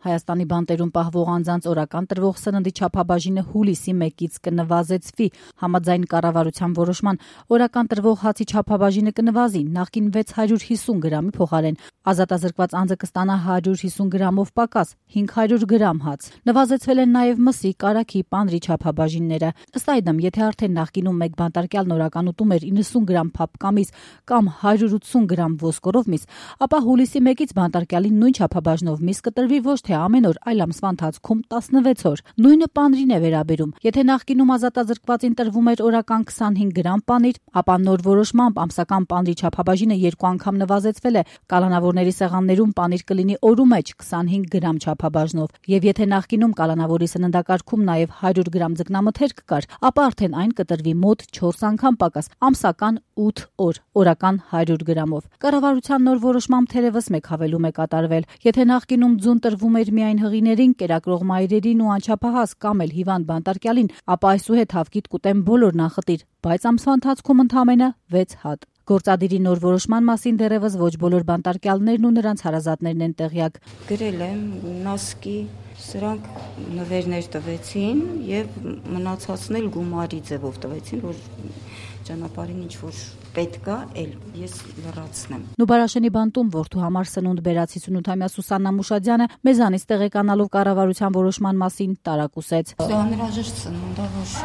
Հայաստանի բանտերում պահվող անձանց օրական տրվող սննդի չափաբաժինը հուլիսի 1-ից կնվազեցվի։ Համաձայն կառավարության որոշման օրական տրվող հացի չափաբաժինը կնվազի նախկին 650 գրամի փոխարեն։ Ազատազրկված անձը կստանա 150 գրամով պակաս 500 գրամ հաց։ Նվազեցվել են նաև մսի, կարագի, պանրի չափաբաժինները։ Ըստ այդմ, եթե արդեն նախկինում մեկ բանտարկյալն օրական ուտում էր 90 գրամ փափկամիս կամ 180 գրամ ոսկորով միս, ապա հուլիսի 1-ից բանտարկյալին նույն չափաբաժնով միս կտրվի ոչ թե ամեն օր, այլ ամսվա ընթացքում 16 օր։ Նույնը պանրին է վերաբերում։ Եթե նախկինում ազատազրկվածին տրվում էր օրական 25 գրամ պանիր, ապա նոր որոշմամբ ամսական պանրի չափաբաժինը 2 անգամ նվազեցվել է։ Կալանավորների սեղաններում պանիր կլինի օրու մեջ 25 գրամ չափաբաժնով, եւ եթե նախկինում կալանավորի սննդակարգում նաև 100 գրամ ձկնամթերք կար, ապա արդեն այն կտրվի մոտ 4 անգամ պակաս, ամսական 8 օր, օրական 100 գրամով։ Կառավարության նոր որոշմամբ թերևս մեկ հավելում է կատարվել։ Եթե նախկինում ձուն տրվում էր միայն հղիներին, կերակրող մայրերին ու անչափահաս կամ էլ հիվանդ բանտարկյալին, ապա այսուհետ հավկիտ կուտեն բոլոր նախտիր, բայց ամսվա ընթացքում ընդամենը 6 հատ։ Գործադիրի նոր որոշման մասին դեռևս ոչ բոլոր բանտարկյալներն ու նրանց հարազատներն են տեղյակ։ Գրել եմ նասկի, սրանք նվերներ տվեցին եւ մնացածն էլ գումարի ձևով տվեցին, որ ճանապարհին ինչ որ պետք է, ես լրացնեմ։ Նուբարաշենի բանտում որդու համար սնունդ բերած 58-ամյա Սուսաննա Մուշադյանը մեզանից տեղեկանալով կառավարության որոշման մասին տարակուսեց։ Դա անհրաժեշտ սնունդ է, որ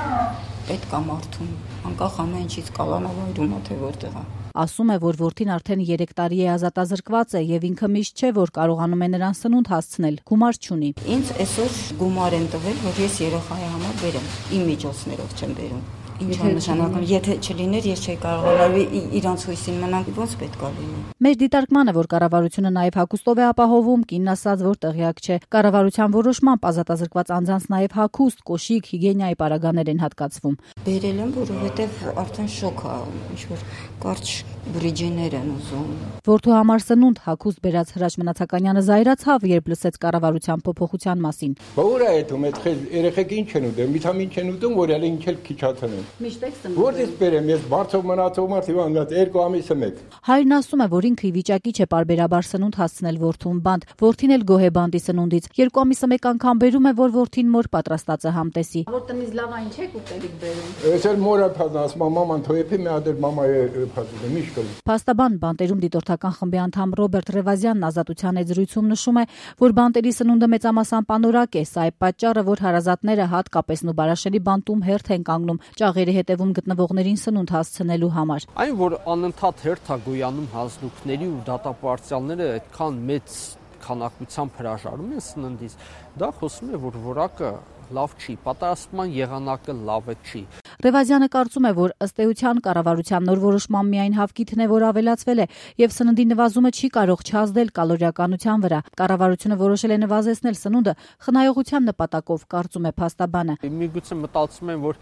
պետք է մարդուն, անկախ ամեն ինչից կալանավորում է թե որտեղ է։ Ասում է, որ որդին արդեն 3 տարի է ազատազրկված է եւ ինքը միշտ չէ, որ կարողանում է նրան սնունդ հասցնել, գումար չունի։ Ինձ այսօր գումար են տվել, որ ես երեխայի համար բերեմ, իմ միջոցներով չեմ բերում։ Ինչ է նշանակում, եթե չլիներ, ես չէի կարողանալ իրանց հույսին մնալ, ոնց պետք է լինի։ Մեր դիտարկմանը, որ կառավարությունը նաև հագուստով է ապահովում, կինն ասաց, որ տեղյակ չէ։ Կառավարության որոշմամբ ազատազրկված անձանց նաև հագուստ, կոշիկ, հիգիենայի պարագաներ են հատկացվում։ Բերել եմ, որովհետև արդեն շոկ է, ինչ որ կարճ բրիջիներ են ուզում։ Որդու համար սնունդ հագուստ բերած Հրաչ Մնացականյանը զայրացավ, երբ լսեց կառավարության փոփոխության մասին։ Բա ուր է այդում, այդ երեխեք ինչ են ուտում, վիտամին չեն ուտում, որ ալի ինչ էլ քիչացնեն։ Միշտ եք սնունդ։ Որտե՞ց բերեմ, ես բարձր մնացող մարդ իվան, 2 ամիսը մեկ։ Հայրն ասում է, որ ինքը ի վիճակի չէ պարբերաբար սնունդ հասցնել որդուն բանտ։ Որդին էլ գոհ է բանտի սնունդից։ 2 ամիսը մեկ անգամ բերում է, որ որդին մոր պատրաստած է համտեսի։ Որ տնից լավ այն չեք ուտելիք բերում։ Ես էլ մորը փազն ասում եմ, մաման թոյեփի մի հատ մամայի փազն միշտ կլի։ Փաստաբան բանտերում դիտորդական խմբի անդամ Ռոբերտ Ռևազյանն Ազատության հետ զրույցում նշում է, որ բանտերի սնունդը մեծամասամբ անորակ է, սա է պատճառը, որ հարազատները հատկապես Նուբարաշենի բանտում հերթ են կանգնում ճաղերի հետևում գտնվողներին սնունդ հասցնելու համար։ Այն, որ անընդհատ հերթ է գոյանում հանձնուկների ու դատապարտյալները այդքան մեծ քանակությամբ հրաժարվում են սննդից, դա խոսում է, որ որակը լավ չի, պատասխանման եղանակը լավը չի։ Ռևազյանը կարծում է, որ ըստ էության կառավարության նոր որոշման միայն հավկիթն է, որ ավելացվել է, եւ սննդի նվազումը չի կարող չազդել կալորիականության վրա։ Կառավարությունը որոշել է նվազեցնել սնունդը խնայողության նպատակով, կարծում է փաստաբանը։ Միգուցե մտածում են, որ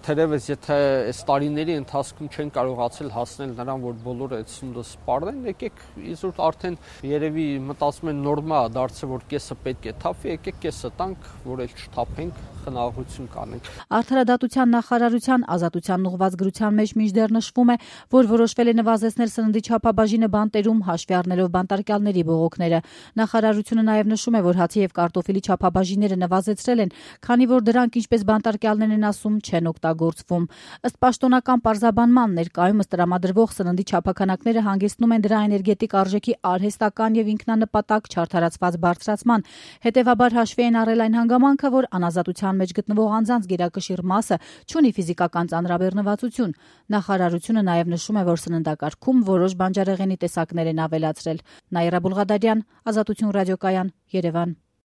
թերևս եթե այս տարիների ընթացքում չեն կարողացել հասնել նրան, որ բոլորը այդ սնունդը սպառեն, եկեք իզուր արդեն երևի մտածում են նորմա դարձել, որ կեսը պետք է թափվի, եկեք կեսը տանք, որ էլ չթափենք, խնայողություն կանենք։ Արդարադատության նախարարության ազատության ուղղված գրության մեջ մինչդեռ նշվում է, որ որոշվել է նվազեցնել սննդի չափաբաժինը բանտերում, հաշվի առնելով բանտարկյալների բողոքները։ Նախարարությունը նաև նշում է, որ հացի եւ կարտոֆիլի չափաբաժինները նվազեցրել են, քանի որ դրանք, ինչպես բանտարկյալներն են ասում, չեն օգտագործվում։ Ըստ պաշտոնական պարզաբանման, ներկայումս տրամադրվող սննդի չափաքանակները հանգեցնում են դրա էներգետիկ արժեքի արհեստական եւ ինքնանպատակ չարդարացված բարձրացման։ Հետևաբար հաշվի են առել այն հանգամանքը, որ անազատության մեջ գտնվող անձանց գերակշիռ մասը չունի ֆիզիկական ծանրաբեռնվածություն։ Նախարարությունը նաև նշում է, որ սննդակարգում որոշ բանջարեղենի տեսակներ են ավելացրել։ Նաիրա Բուլղադարյան, Ազատություն ռադիոկայան, Երևան։